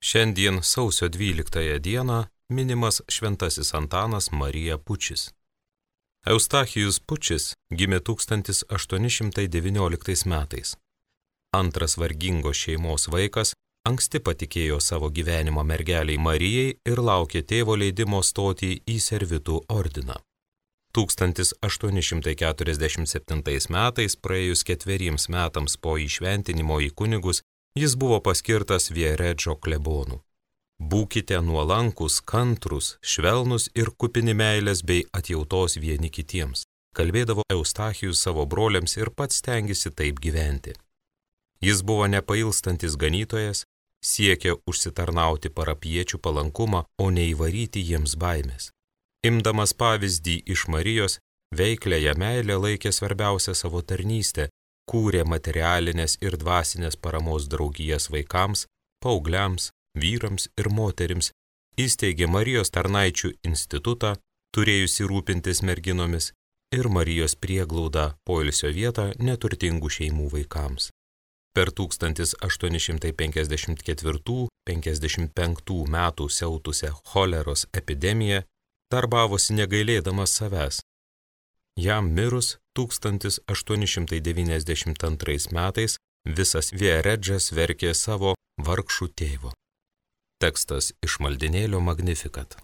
Šiandien sausio 12 dieną minimas šventasis Antanas Marija Pučis. Eustachijus Pučis gimė 1819 metais. Antras vargingos šeimos vaikas, anksti patikėjo savo gyvenimo mergeliai Marijai ir laukė tėvo leidimo stoti į servitų ordiną. 1847 metais, praėjus 4 metams po įšventinimo į kunigus, jis buvo paskirtas Vieredžo klebonu. Būkite nuolankus, kantrus, švelnus ir kupini meilės bei atjautos vieni kitiems, kalbėdavo Eustachijus savo broliams ir pats stengėsi taip gyventi. Jis buvo nepailstantis ganytojas, siekė užsitarnauti parapiečių palankumą, o neįvaryti jiems baimės. Imdamas pavyzdį iš Marijos, veikliąją meilę laikė svarbiausia savo tarnystę, kūrė materialinės ir dvasinės paramos draugijas vaikams, paaugliams, vyrams ir moterims, įsteigė Marijos tarnaičių institutą, turėjusi rūpintis merginomis, ir Marijos prieglaudą poilsio vietą neturtingų šeimų vaikams. Per 1854–55 metų siautusią choleros epidemiją darbavosi negailėdamas savęs. Jam mirus 1892 metais visas Vieredžas verkė savo vargšų tėvo. Tekstas iš maldinėlio Magnificat.